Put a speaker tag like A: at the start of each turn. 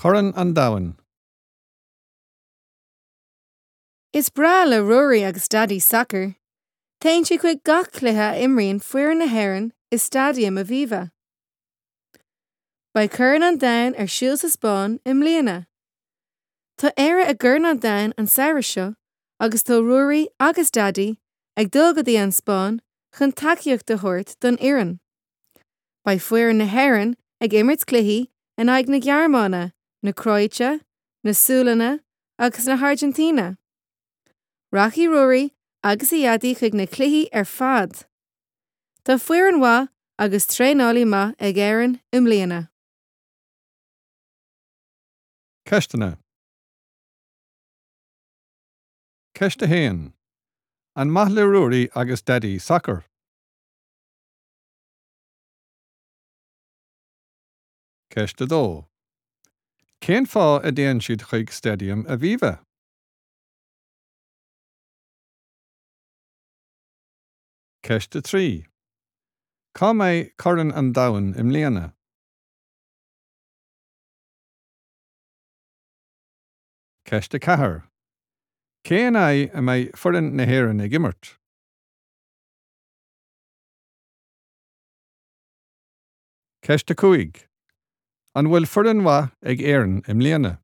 A: Corn an Domhain.
B: Is breá le Ruairí agus Daidí sacar. Téann siad chuig gach cluiche a imríonn foireann na hÉireann i Staidiam Aviva. Beidh Corn an Domhain ar siúl sa Spáinn i mbliana. Tá Éire i gCorn an Domhain an samhradh seo agus tá Ruairí agus Daidí ag dul go dtí an Spáinn chun tacaíocht a thabhairt don fhoireann. Beidh foireann na hÉireann ag imirt cluichí in aghaidh na Gearmáine, na Cróite, na Sualainne agus na hAirgintíne. Rachaidh Ruairí agus a Dhaidí chuig na cluichí ar fad. Tá foireann mhaith agus traenálaí maith ag Éirinn i mbliana.
A: Ceisteanna. Ceist 1. An maith le Ruairí agus Daidí sacar? Ceist 2. Cén fáth a dtéann siad chuig Staidiam Aviva? Ceist 3. Cá mbeidh Corn an Domhain i mbliana? Ceist 4. Cé in aghaidh a mbeidh foireann na hÉireann ag imirt? Ceist 5. An bhfuil foireann mhaith ag Éirinn i mbliana?